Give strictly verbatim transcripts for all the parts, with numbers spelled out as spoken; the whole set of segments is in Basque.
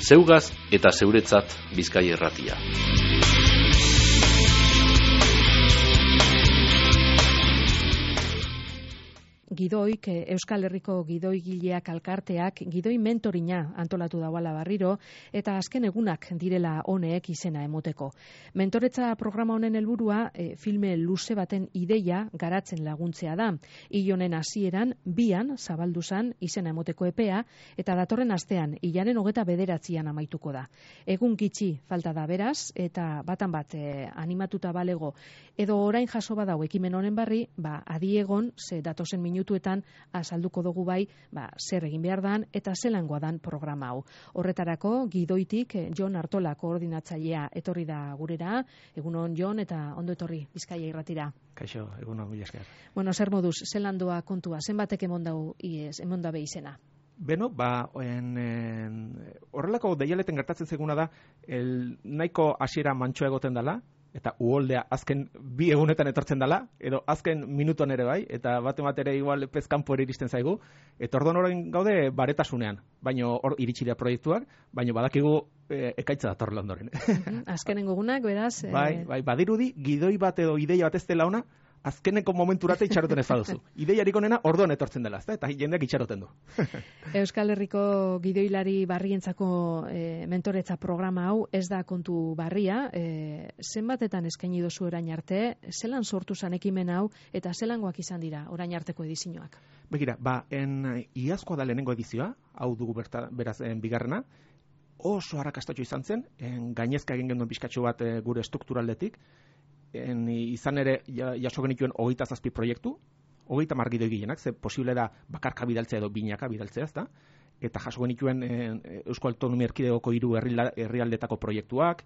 Zeugaz eta zeuretzat Bizkaia Irratia. Gidoik, Euskal Herriko gidoigileak elkarteak gidoi mentorina antolatu dauala berriro eta azken egunak direla honek izena emoteko. Mentoretza programa honen helburua e, filme luze baten ideia garatzen laguntzea da. Hil honen hasieran bian zabaldu zan izena emoteko epea eta datorren astean hilaren hogeta bederatzian amaituko da. Egun gitxi falta da beraz eta batan bat e, animatuta balego edo orain jaso badau ekimen honen barri, ba adiegon ze datozen minutuetan azalduko dugu bai, ba, zer egin behar dan eta zelangoa dan programa hau. Horretarako gidoitik Jon Artola koordinatzailea etorri da gurera. Egunon Jon eta ondo etorri Bizkaia Irratira. Kaixo, egunon mila esker. Bueno, zer moduz, zelandoa kontua, zenbatek emondau iez, emondabe izena? Beno, ba, en, en, horrelako deialeten gertatzen zeguna da, el, nahiko hasiera mantxoa egoten dela, eta uholdea azken bi egunetan etortzen dela, edo azken minutuan ere bai, eta bate bat ere igual pezkanpo ere iristen zaigu, eta orduan orain gaude baretasunean, baino hor iritsi da proiektuak, baino badakigu e, ekaitza datorrela ondoren. Azkenengo gunak, beraz... E... Bai, bai, badirudi, gidoi bat edo ideia bat ez dela ona, azkeneko momenturate itxaroten ez baduzu. Ideiarik onena orduan etortzen dela, ezta? Eta jendeak itxaroten du. Euskal Herriko gidoilari barrientzako e, mentoretza programa hau ez da kontu barria. E, zenbatetan eskaini dozu orain arte, zelan sortu zan ekimen hau eta zelangoak izan dira orain arteko edizioak? Begira, ba, en iazkoa da lehenengo edizioa, hau dugu berta, beraz en, bigarrena, oso arrakastatxo izan zen, en, gainezka egin genuen pixkatxo bat e, gure strukturaldetik, En, izan ere jaso genituen hogeita zazpi proiektu, hogeita mar gidoi gilenak, ze posible da bakarka bidaltzea edo binaka bidaltzea, ezta? Eta jaso genituen en, Euskal Autonomia Erkidegoko hiru herrialdetako proiektuak,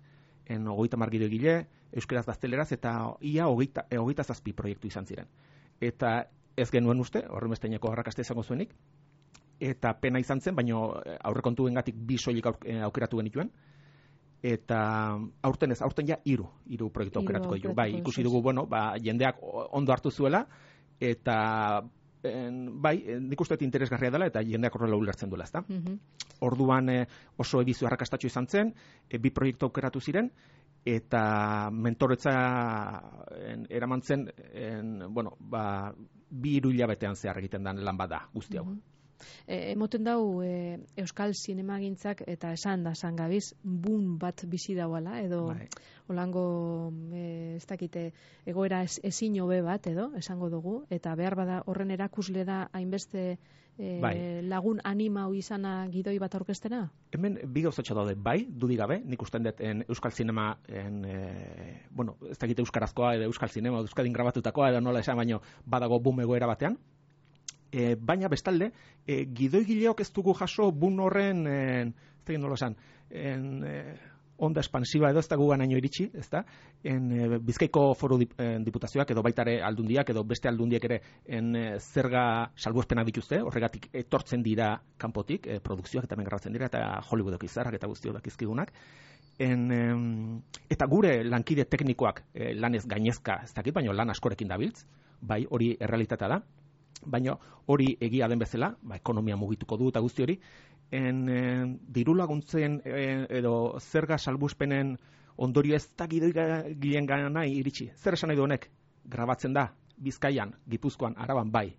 en hogeita mar gidoi gile, euskeraz gazteleraz, eta ia hogeita, hogeita zazpi proiektu izan ziren. Eta ez genuen uste, horren besteineko arrakasta izango zuenik, eta pena izan zen, baina aurrekontuengatik bi soilik aukeratu genituen, eta aurten ez, aurten ja hiru, hiru proiektu aukeratuko ditu. Bai, ikusi dugu, bueno, ba, jendeak ondo hartu zuela, eta en, bai, nik uste interesgarria dela, eta jendeak horrela ulertzen duela, ezta? Mm-hmm. Orduan eh, oso edizio arrakastatxo izan zen, e, bi proiektu aukeratu ziren, eta mentoretza en, eraman zen, en, bueno, ba, bi hiru hilabetean zehar egiten den lan bada guzti hau. Mm-hmm. E, emoten dau e, Euskal Zinemagintzak eta esan da zangabiz boom bat bizi dauala edo bai. Olango e, ez dakite egoera ez, ezin hobe bat edo esango dugu eta behar bada horren erakusle da hainbeste e, bai. Lagun animau izana gidoi bat aurkeztena? Hemen bi gauzatxo daude, bai, dudik gabe, nik usten dut en Euskal Zinema en, e, bueno, ez dakite euskarazkoa edo Euskal Zinema euskadin grabatutakoa edo nola esan baino badago boom egoera batean. E, baina bestalde, e, gidoigileok ez dugu jaso bun horren, en, ez da nola esan, en, e, onda espansiba edo ez da guganaino iritsi, ez da, en, e, Bizkaiko foru dip, en, diputazioak edo baitare aldundiak edo beste aldundiak ere en, e, zerga salbuespena dituzte, horregatik etortzen dira kanpotik, e, produkzioak eta mengarratzen dira, eta Hollywoodok izarrak eta guztiok dakizkigunak. En, em, eta gure lankide teknikoak e, lanez gainezka ez dakit, baina lan askorekin dabiltz, bai, hori errealitatea da. Baina hori egia den bezala, ba, ekonomia mugituko du eta guzti hori, en, en, diru laguntzen en, edo zerga salbuspenen ondorio ez da gidoigileen gana iritsi. Zer esan nahi du honek? Grabatzen da, Bizkaian, Gipuzkoan, Araban, bai.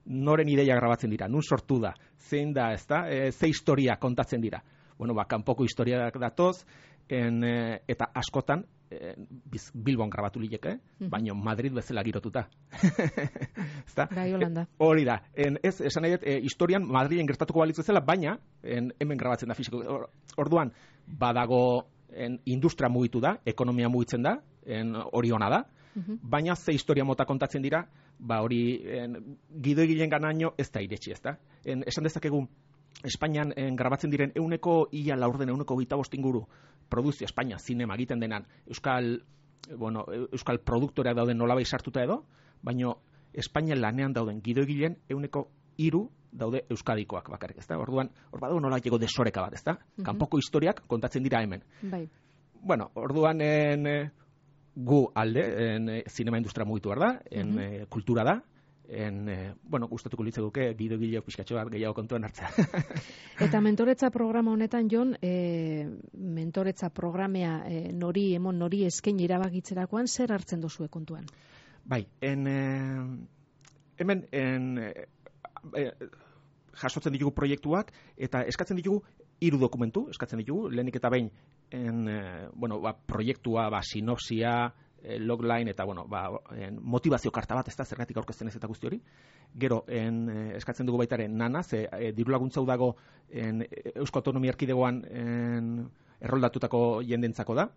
Noren ideia grabatzen dira, nun sortu da, zein da, ez da, e, ze historia kontatzen dira. Bueno, ba, kanpoko historiak datoz, en, e, eta askotan, Bilbon grabatu lileke, mm-hmm. baina Madrid bezala girotuta. Bai, Holanda. Hori da. En, ez, esan nahi dut, e, historian Madrilen gertatuko balitz bezala, baina en, hemen grabatzen da fisiko. Orduan, badago en, industria mugitu da, ekonomia mugitzen da, en, hori ona da, mm-hmm. baina ze historia mota kontatzen dira, ba hori gidoigileen ganaino ez da iretsi, ez da. En, esan dezakegu, Espainian en, grabatzen diren euneko ia laurden, euneko gita inguru produzio Espainia, zinema egiten denan Euskal, bueno, Euskal produktoreak dauden nolabai sartuta edo, baina Espainian lanean dauden gidoigileen euneko hiru daude euskadikoak bakarrik, ezta? Orduan, hor badago nolabaiteko desoreka bat, ezta? Mm-hmm. Kanpoko historiak kontatzen dira hemen. Bai. Bueno, orduan en, gu alde, en, zinema industria mugitu behar da, en, mm-hmm. kultura da, en, e, bueno, gustatuko litzaguke gidoigile pixkatxo bat gehiago kontuan hartzea. Eta mentoretza programa honetan, Jon, e, mentoretza programea e, nori, emon nori eskaini erabakitzerakoan, zer hartzen dozue kontuan? Bai, en, e, hemen en, e, e, jasotzen ditugu proiektuak eta eskatzen ditugu hiru dokumentu, eskatzen ditugu, lehenik eta behin en, e, bueno, ba, proiektua, ba, sinopsia, e, logline eta bueno, ba, en, motivazio karta bat, ez da, zergatik aurkezten ez eta guzti hori. Gero, en, e, eskatzen dugu baitaren nana, ze e, diru laguntza dago en, Eusko Autonomia Erkidegoan en, erroldatutako jendentzako da.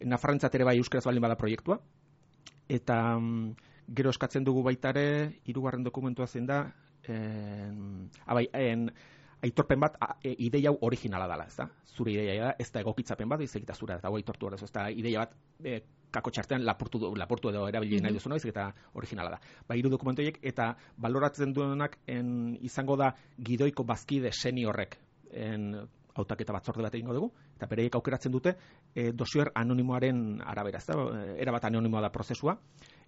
Nafarrentzat ere bai euskaraz baldin bada proiektua. Eta mm, gero eskatzen dugu baitare, hirugarren dokumentua zein da, en, abai, en, aitorpen bat a, e, ideia hau originala dela, ez da? Zure ideia da, ez da egokitzapen bat, izekita zure, eta hau aitortu hori, ez da, ideia bat e, kako txartean lapurtu, lapurtu edo erabili nahi duzu, no? Izekita originala da. Ba, hiru dokumentoiek eta baloratzen duenak en, izango da gidoiko bazkide seniorrek en, hautaketa batzorde bat egingo dugu, eta bereiek aukeratzen dute e, dosier anonimoaren arabera, ez da? Erabat anonimoa da prozesua,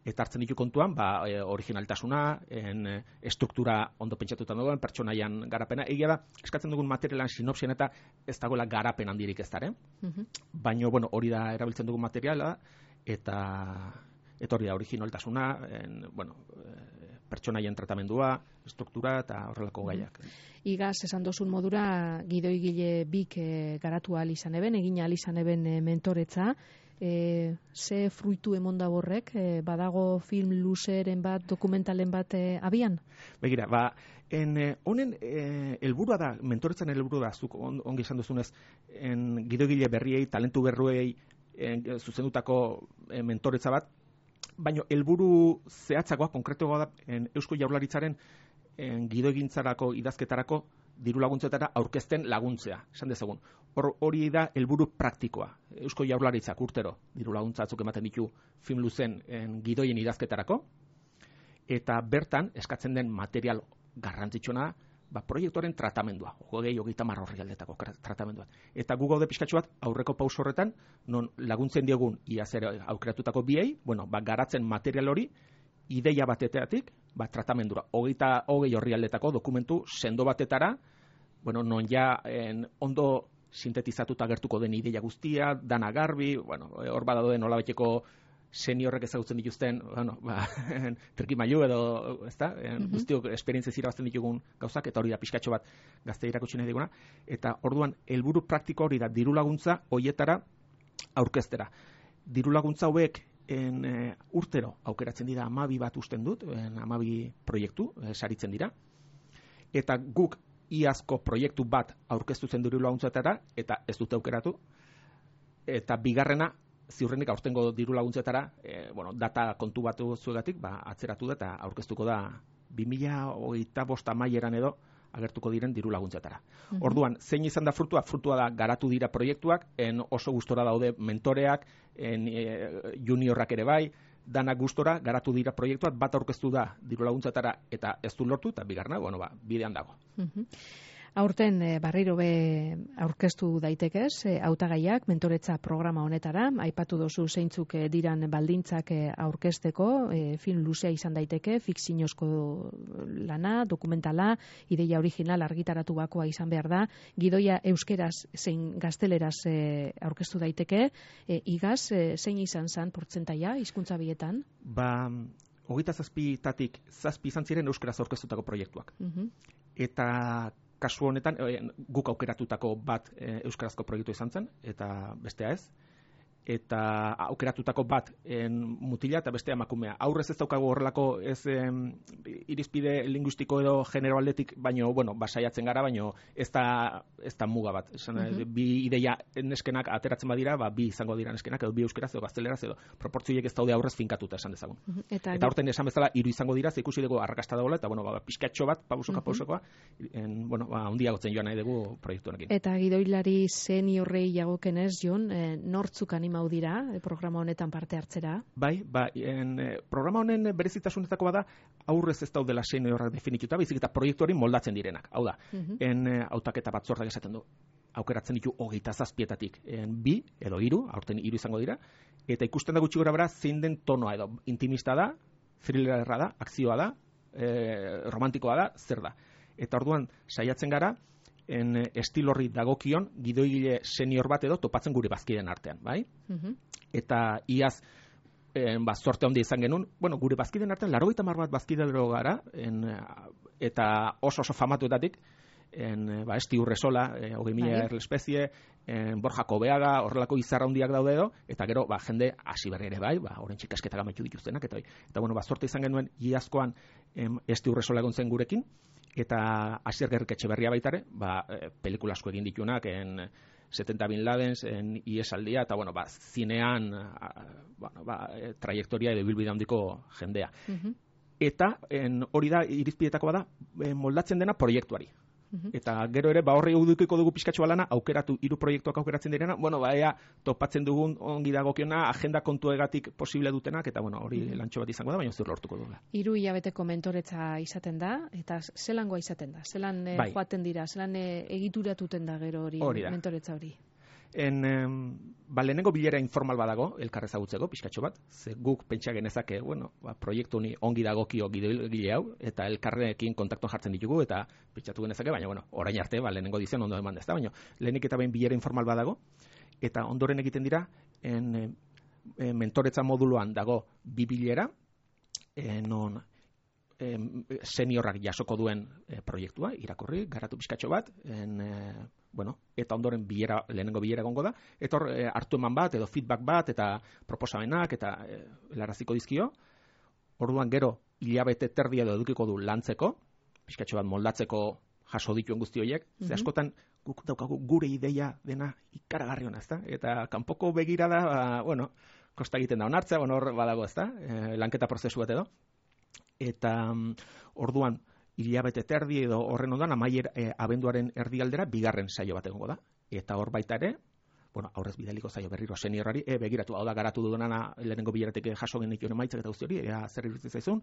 eta hartzen ditu kontuan, ba, e, originaltasuna, en, e, estruktura ondo pentsatuta duen, pertsonaian garapena. Egia da, eskatzen dugun materialan sinopsien eta ez dagoela garapen handirik ez dara. Uh-huh. Baina, bueno, hori da erabiltzen dugun materiala, eta, eta hori da originaltasuna, en, bueno, e, pertsonaien tratamendua, struktura eta horrelako gaiak. Igaz, esan dozun modura, gidoigile bik e, garatu ahal izan eben, egin ahal izan eben e, mentoretza, E, ze fruitu emonda horrek, e, badago film luzeren bat, dokumentalen bat e, abian? Begira, ba, en, honen e, helburua da, mentoretzan helburua da, zuk on, ongi esan duzunez, en, gidoigile berriei, talentu berruei en, zuzendutako e, mentoretza bat, baina helburu zehatzagoa, konkretoa da, en, Eusko Jaurlaritzaren en, gidoegintzarako, idazketarako, diru laguntzetara aurkezten laguntzea, esan dezagun. Hor, hori da helburu praktikoa. Eusko Jaurlaritzak urtero diru laguntza batzuk ematen ditu film luzen en, gidoien idazketarako, eta bertan eskatzen den material garrantzitsuna, ba, proiektuaren tratamendua, hogei hogeita hamar orrialdetako tratamendua. Eta gu gaude pixkatxo bat aurreko pauso horretan, non laguntzen diogun iaz ere aukeratutako biei, bueno, ba, garatzen material hori, ideia bateteatik, ba, tratamendura, hogeita hogei orrialdetako dokumentu sendo batetara, bueno, non ja en, ondo sintetizatuta gertuko den ideia guztia, dana garbi, bueno, hor badadoen nolabaiteko seniorrek ezagutzen dituzten, bueno, ba, trikimailu edo, ezta, mm-hmm. guztiok esperientzia irabazten ditugun gauzak, eta hori da pixkatxo bat gazte irakutsi nahi diguna, eta orduan helburu praktiko hori da diru laguntza hoietara aurkeztera. Diru laguntza hauek en, e, urtero aukeratzen dira hamabi bat usten dut, hamabi proiektu e, saritzen dira, eta guk iazko proiektu bat aurkeztu zen diru laguntzetara, eta ez dute aukeratu, eta bigarrena ziurrenik aurtengo diru laguntzetara, e, bueno, data kontu batu zuegatik, ba, atzeratu da eta aurkeztuko da bi mila hogeita bost amaieran edo agertuko diren diru laguntzetara. Uh-huh. Orduan, zein izan da frutua? Frutua da garatu dira proiektuak, en oso gustora daude mentoreak, en e, juniorrak ere bai, danak gustora garatu dira proiektuak, bat aurkeztu da diru laguntzetara eta ez du lortu, eta bigarna, bueno, ba, bidean dago. Uh-huh. Aurten e, barriro be aurkeztu daitekez, e, hautagaiak mentoretza programa honetara, aipatu dozu zeintzuk e, diran baldintzak e, aurkezteko, e, film luzea izan daiteke, fikziozko lana, dokumentala, ideia original argitaratu bakoa izan behar da, gidoia euskeraz zein gazteleraz e, aurkeztu daiteke, e, igaz, e, zein izan zan portzentaia hizkuntza bietan? Ba, hogeita zazpitatik zazpi izan ziren euskeraz aurkeztutako proiektuak. Uh-huh. Eta kasu honetan, e, guk aukeratutako bat e, euskarazko proiektu izan zen, eta bestea ez. Eta aukeratutako bat en, mutila eta bestea emakumea. Aurrez ez daukagu horrelako ez em, irizpide linguistiko edo genero aldetik, baino, bueno, basaiatzen gara, baino ez da, ez da muga bat. Esan, uh-huh. Bi ideia neskenak ateratzen badira, ba, bi izango dira neskenak, edo bi euskeraz edo gazteleraz, edo proportzioiek ez daude aurrez finkatuta esan dezagun. Uh-huh. Eta, eta horten esan bezala, hiru izango dira, ze ikusi dugu arrakasta dagoela, eta bueno, ba, pixkatxo bat, pausoka uh-huh. pausokoa, en, bueno, ba, handiagotzen joan nahi dugu proiektu honekin. Eta gidoilari seniorrei jagokenez, Jon, eh, nortzuk anima dira programa honetan parte hartzera? Bai, ba, en, programa honen berezitasunetako bada aurrez ez daudela seniorrak definituta, baizik eta proiektuari moldatzen direnak. Hau da, uh-huh. en hautaketa batzordak esaten du, aukeratzen ditu hogeita zazpietatik en, bi edo hiru, aurten hiru izango dira, eta ikusten da gutxi gora bera zein den tonoa edo intimista da, thrillerra da, akzioa da, e, romantikoa da, zer da. Eta orduan, saiatzen gara, en estil horri dagokion gidoigile senior bat edo topatzen gure bazkideen artean, bai? Uh-huh. Eta iaz, en, ba, zorte handia izan genuen, bueno, gure bazkideen artean, laurogeita hamar bat bazkidero gara, en, eta oso oso famatuetatik, en, ba, Esti Urresola, e, hogei mila erlespezie, en, Borja Kobeaga, horrelako izarra handiak daude edo, eta gero, ba, jende hasi berri ere bai, ba, orain txikasketak amaitu dituztenak, eta, eta bueno, ba, zorte izan genuen, iazkoan em, Esti Urresola egon zen gurekin, eta Asier Gerrik Etxeberria baitare, ba, e, pelikula asko egin ditunak, en setenta Bin Ladens, en Iesaldia, eta bueno, ba, zinean, a, bueno, ba, e, trajektoria edo bilbide handiko jendea. Uh-huh. Eta en, hori da, irizpidetakoa da, e, moldatzen dena proiektuari. Uh-huh. Eta gero ere, ba horri udukiko dugu pizkatxo balana, aukeratu, hiru proiektuak aukeratzen direna, bueno, ba ea topatzen dugun ongi dagokiona, agenda kontuegatik posible dutenak, eta bueno, hori uh-huh. lantxo bat izango da, baina zur lortuko dugu. Hiru hilabeteko mentoretza izaten da, eta zelangoa izaten da, zelan eh, bai. joaten dira, zelan eh, egituratuten da gero hori, hori mentoretza hori. En, em, ba, lehenengo bilera informal badago, elkarrezagutzeko, pixkatxo bat, ze guk pentsa genezake, bueno, ba, proiektu honi ongi dagokio gidoigile hau, eta elkarrekin kontaktuan jartzen ditugu, eta pentsatu genezake, baina, bueno, orain arte, ba, lehenengo dizion ondo eman dezta, baina, lehenik eta behin bilera informal badago, eta ondoren egiten dira, en, en, mentoretza moduluan dago bi bilera, en, non, seniorrak jasoko duen e, proiektua, irakurri, garatu pizkatxo bat, en, e, bueno, eta ondoren bilera, lehenengo bilera gongo da, eta hor e, hartu eman bat, edo feedback bat, eta proposamenak, eta e, helaraziko dizkio, orduan gero, hilabete terdia edo edukiko du lantzeko, pizkatxo bat moldatzeko jaso dituen guzti horiek, mm-hmm. ze askotan guk daukagu gure ideia dena ikaragarri hona, ezta? Eta kanpoko begirada, ba, bueno, kosta egiten da onartzea, bueno, hor badago, ezta? E, lanketa prozesu bat edo. Eta um, orduan hilabete terdi edo horren ondoan amaier e, abenduaren erdialdera bigarren saio bat egongo da. Eta hor baita ere, bueno, aurrez bidaliko saio berriro seniorrari, e, begiratu, hau da garatu dudana lehenengo bileratik jaso genituen emaitzak eta guzti hori, ea zer iruditzen zaizun,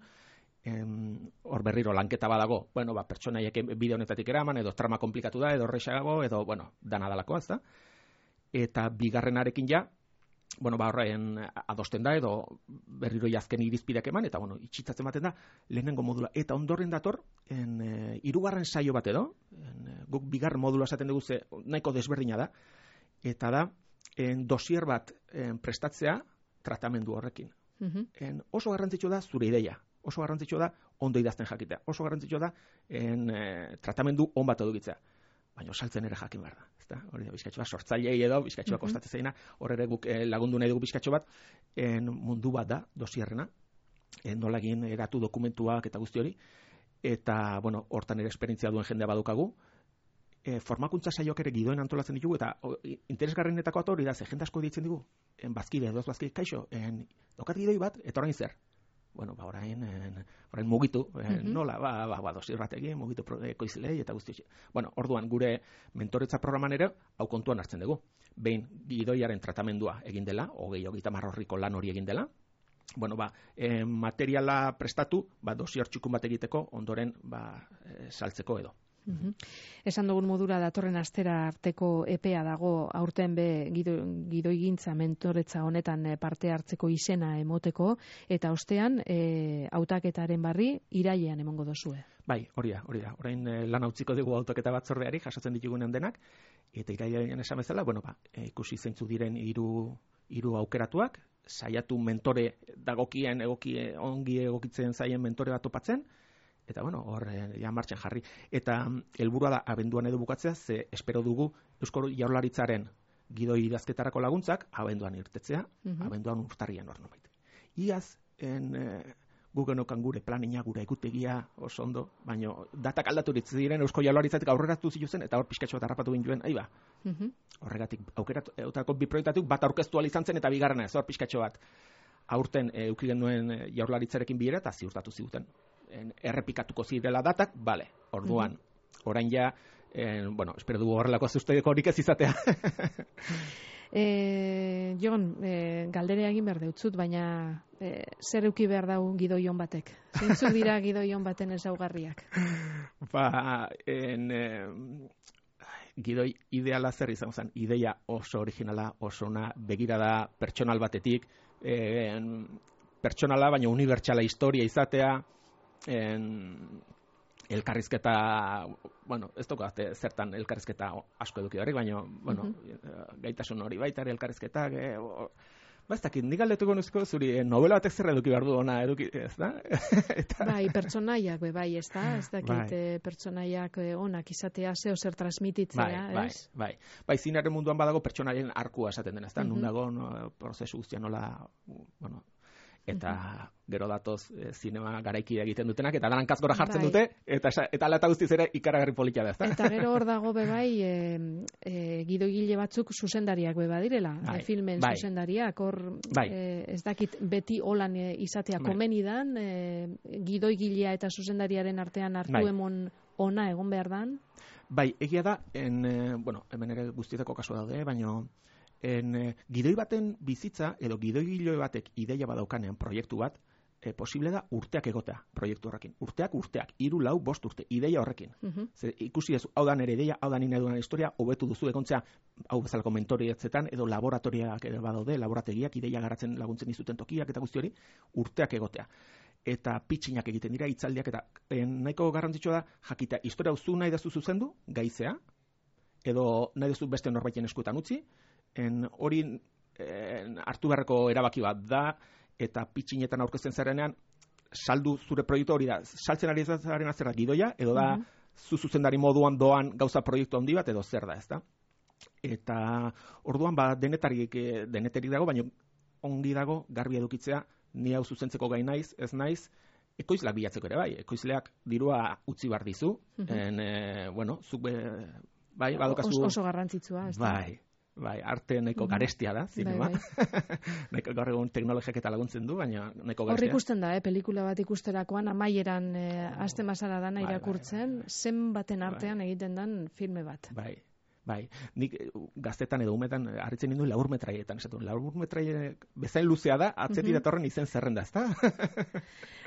em, hor berriro lanketa badago, bueno, ba, pertsonaiek bide honetatik eraman, edo trama komplikatu da, edo horrexago, edo, bueno, dana dalako, ez da. Eta bigarrenarekin ja, bueno, ba, horrein adosten da, edo berriro jazken irizpideak eman, eta, bueno, itxitzatzen baten da, lehenengo modula. Eta ondoren dator, en, e, irugarren saio bat edo, en, guk bigarren modula esaten dugu ze nahiko desberdina da, eta da, en, dosier bat en, prestatzea tratamendu horrekin. Uh-huh. En, oso garrantzitsua da zure ideia, oso garrantzitsua da ondo idazten jakitea, oso garrantzitsua da en, e, tratamendu on bat edukitzea. Baina saltzen ere jakin behar da, ezta? Hori da, bizkatxo bat, sortzailei edo, bizkatxo bat kostatzen zaina, hor ere guk eh, lagundu nahi dugu bizkatxo bat, en, mundu bat da, dosierrena, en, nola egin eratu dokumentuak eta guzti hori, eta, bueno, hortan ere esperientzia duen jendea badukagu, e, formakuntza saioak ere gidoen antolatzen ditugu, eta o, interesgarrenetako bat hori da, ze jende asko ditzen digu, en, bazkide, edoz bazkide, kaixo, en, dokat gidoi bat, eta orain zer? Bueno, ba, orain, en, orain mugitu, en, uh-huh. nola, ba, ba, ba dosir batekin, mugitu ekoizilei eta guzti. Bueno, orduan, gure mentoretza programan ere, hau kontuan hartzen dugu. Behin, gidoiaren tratamendua egin dela, hogei, hogeita marrorriko lan hori egin dela, bueno, ba, e, materiala prestatu, ba, dosior txukun bat egiteko, ondoren, ba, e, saltzeko edo. Uhum. Esan dugun modura datorren astera arteko epea dago aurten be gidoigintza mentoretza honetan parte hartzeko izena emoteko eta ostean e, hautaketaren barri irailean emongo dozue. Bai, hori da, hori da. Orain e, lan utziko dugu hautaketa batzordeari jasotzen ditugunen denak eta irailean esan bezala, bueno, ba, e, ikusi zeintzu diren hiru hiru aukeratuak, saiatu mentore dagokien egoki ongi egokitzen zaien mentore bat topatzen. Eta, bueno, hor, ja martxan jarri. Eta helburua da, abenduan edo bukatzea, ze espero dugu Eusko Jaurlaritzaren gidoi idazketarako laguntzak, abenduan irtetzea, uh-huh. abenduan urtarrian hor nomait. Iaz, en, e, gugenokan gure planina, gure egutegia oso ondo, baina datak aldaturitz diren Eusko Jaurlaritzatik aurreratu zituzen, eta hor pizkatxo bat harrapatu ginduen, aiba. Uh-huh. Horregatik, aukeratu, eutako bi proiektatuk bat aurkeztu izan zen, eta bigarrena ez, hor pizkatxo bat. Aurten e, euki genuen Jaurlaritzarekin bilera, eta ziurtatu ziguten. En, errepikatuko zirela datak, bale, orduan, mm-hmm. orain ja, en, bueno, espero dugu horrelako zuzteko horik ez izatea. e, Jon, e, galdere egin behar deutzut, baina e, zer euki behar dau gidoion batek? Zeintzuk dira gidoion baten ezaugarriak? Ba, en, e, gidoi ideala zer izan zen, ideia oso originala, oso ona, begirada pertsonal batetik, e, en, pertsonala, baina unibertsala historia izatea, en, elkarrizketa, bueno, ez daukat zertan elkarrizketa asko eduki horrek, baina, bueno, uh-huh. gaitasun hori baita ere elkarrizketak, e, ba, ez dakit, nik galdetuko nuzko, zuri, eh, novela batek zer eduki behar du ona, eduki, ez da? Eta... Bai, pertsonaiak, be, bai, ez da? Ez dakit, bai. eh, pertsonaiak eh, onak izatea, zeo zer transmititzea, bai, ez? Bai, bai, bai, zinaren munduan badago pertsonaien arkua esaten den, ez da? Uh-huh. Nun dago, no, prozesu guztia nola, bueno, eta uh-huh. gero datoz e, zinema garaikide egiten dutenak, eta danan kaskora jartzen bai. dute, eta eta ala eta guztiz ere ikaragarri politia da, ezta? Eta gero hor dago bebai, e, e, gidoigile batzuk zuzendariak beba direla, bai. e, filmen bai. zuzendariak, hor bai. e, ez dakit beti holan e, izatea bai. komenidan, e, gidoigilea eta zuzendariaren artean hartu bai. emon ona egon behar dan? Bai, egia da, en, e, bueno, hemen ere guztietako kasu daude, baina en, e, gidoi baten bizitza, edo gidoigile batek ideia badaukanean proiektu bat, E, posible da urteak egotea proiektu horrekin. Urteak, urteak, hiru, lau, bost urte, ideia horrekin. Uh-huh. Zer, ikusi ez, hau da nere ideia, hau da nina edunan historia, hobetu duzu egontzea, hau bezalako mentorietzetan, edo laboratoriak ere badaude, laborategiak, ideia garatzen laguntzen izuten tokiak eta guzti hori, urteak egotea. Eta pitxinak egiten dira, hitzaldiak, eta en, nahiko garrantzitsua da, jakita, historia zu nahi dazu zuzendu, gaizea, edo nahi dazu beste norbaiten eskuetan utzi, en, hori en, hartu beharreko erabaki bat da, eta pitxinetan aurkezten zarenean, saldu zure proiektu hori da, saltzen ari zaren azera gidoia, edo da, uh-huh. zu zuzendari moduan doan gauza proiektu handi bat, edo zer da, ez da? Eta orduan, ba, denetarik, denetarik dago, baina ongi dago, garbi edukitzea, ni hau zuzentzeko gai naiz, ez naiz, ekoizleak bilatzeko ere bai, ekoizleak dirua utzi bar dizu, uh-huh. en, e, bueno, zuk, be, bai, badokazu... Oso, oso garrantzitsua, ez da? Bai. Bai, arte nahiko garestia da, zinema. Bai, bai. Nahiko gaur egun teknologiak eta laguntzen du, baina nahiko garestia. Hor ikusten da, eh, pelikula bat ikusterakoan amaieran eh, aste mazara dana bai, irakurtzen, bai, bai. zen baten artean bai. egiten dan filme bat. Bai, bai. Nik gaztetan edo umetan harritzen nindu laur metraietan, esatu. Laur metraie bezain luzea da, atzeti uh-huh. datorren izen zerrenda, ezta?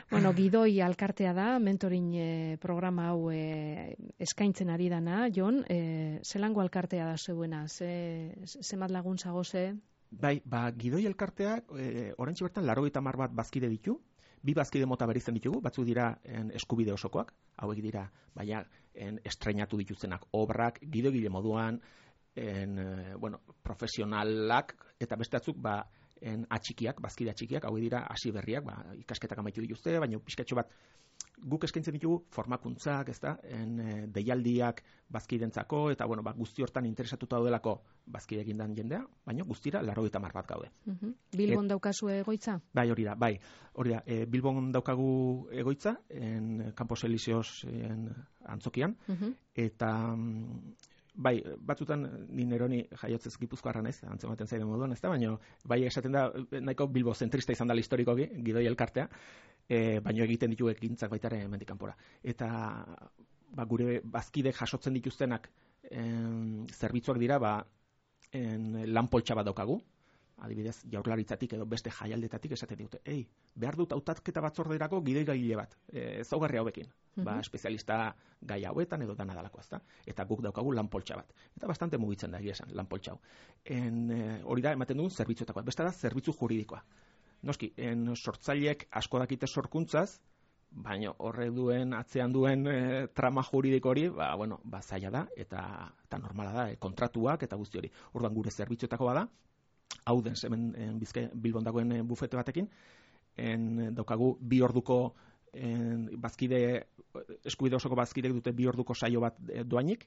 Bueno, gidoi alkartea da, mentorin eh, programa hau eh, eskaintzen ari dana, Jon, eh, zelango alkartea da zeuena, ze, zemat laguntza goze? Bai, ba, gidoi alkartea, eh, orantxe bertan, laurogeita hamar bat bazkide ditu, bi bazkide mota bereizten ditugu, batzuk dira en, eskubide osokoak, hauek dira, baina en, estreinatu dituztenak obrak, gidoigile moduan, en, eh, bueno, profesionalak, eta beste batzuk, ba, en atxikiak, bazkide atxikiak, hau dira hasi berriak, ba, ikasketak amaitu dituzte, baina pixkatxo bat guk eskaintzen ditugu formakuntzak, ez da, en, e, deialdiak bazkidentzako, eta bueno, ba, guzti hortan interesatuta daudelako bazkide egindan jendea, baina guztira laurogeita hamar bat gaude. Uh-huh. Bilbon et, daukazu egoitza? Bai, hori da, bai. Hori da, e, Bilbon daukagu egoitza, en Campos Elíseos en Antzokian, uh-huh. eta bai, batzutan ni neroni jaiotzez Gipuzkoarra naiz, antzematen zaiden moduan, ezta, baina bai esaten da nahiko Bilbo zentrista izan da historikoki, gidoi elkartea, e, baina egiten ditu ekintzak baita ere hemendik kanpora. Eta ba, gure bazkidek jasotzen dituztenak en, zerbitzuak dira, ba, en, lan poltsa bat daukagu, adibidez, jaurlaritzatik edo beste jaialdetatik esaten dute, ei, behar dut hautatketa batzorderako gidoigaile bat, e, ezaugarri hauekin, uh-huh. ba, espezialista gai hauetan edo dana dalako, ezta? Eta guk daukagu lanpoltsa bat. Eta bastante mugitzen da, egia esan, lanpoltsa hau. En, e, hori da, ematen dugun zerbitzuetako, beste da, zerbitzu juridikoa. Noski, en sortzaileek asko dakite sorkuntzaz, baina horre duen, atzean duen e, trama juridiko hori, ba, bueno, ba, zaila da, eta, eta normala da, e, kontratuak eta guzti hori. Orduan gure zerbitzuetako bada, hau den, hemen Bizkai Bilbon dagoen bufete batekin, en, daukagu bi orduko en, bazkide, eskubide osoko bazkidek dute bi orduko saio bat doainik,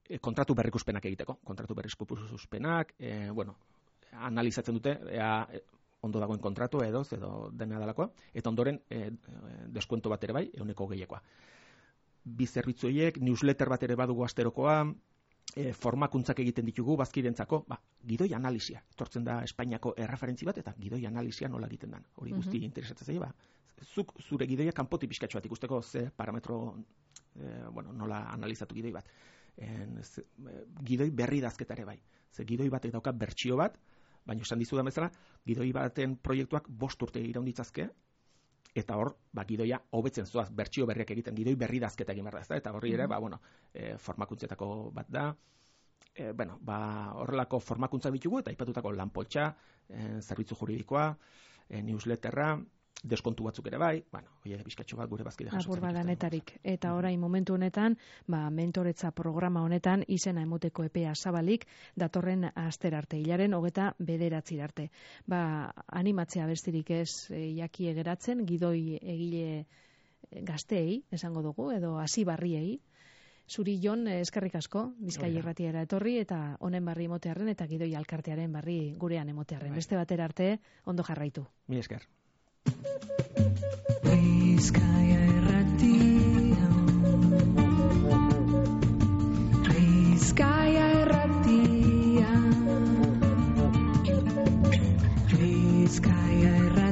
e, kontratu berrikuspenak egiteko, kontratu berrikuspenak, e, bueno, analizatzen dute, ea, ondo dagoen kontratu edo, edo dena dalakoa, eta ondoren e, deskuento bat ere bai, ehuneko gehiagoa. Bi zerbitzu horiek, newsletter bat ere badugu asterokoa, E, formakuntzak egiten ditugu bazkidentzako, ba, gidoi analisia. Etortzen da Espainiako erreferentzi bat, eta gidoi analisia nola egiten den. Hori guzti uh-huh. interesatzen zaio, ba, zuk zure gidoia kanpoti pixkatxo bat ikusteko ze parametro, e, bueno, nola analizatu gidoi bat. En, ze, e, gidoi berri dazketare bai. Ze gidoi batek dauka bertsio bat, baina esan dizu da bezala, gidoi baten proiektuak bost urte iraunditzazke, eta hor, ba, gidoia hobetzen zoaz, bertsio berriak egiten, gidoi berri dazketa egin behar da, eta horri ere, ba, bueno, e, formakuntzetako bat da, e, bueno, ba, horrelako formakuntza ditugu, eta aipatutako lanpoltsa, e, zerbitzu juridikoa, e, newsletterra, deskontu batzuk ere bai, bueno, oie, bizkatxo bat gure bazkide jasotzen. Apur badanetarik. Eta orain momentu honetan, ba, mentoretza programa honetan izena emoteko epea zabalik, datorren aster arte, hilaren hogeta bederatzi arte. Ba, animatzea bestirik ez e, jakie geratzen, gidoi egile gazteei, esango dugu, edo hasi barriei. Zuri Jon, eskerrik asko, Bizkaia Irratiara etorri, eta honen barri emotearren, eta gidoi alkartearen barri gurean emotearren. Beste batera arte, ondo jarraitu. Mi esker. Bizkaia Irratia Bizkaia Irratia Bizkaia Irratia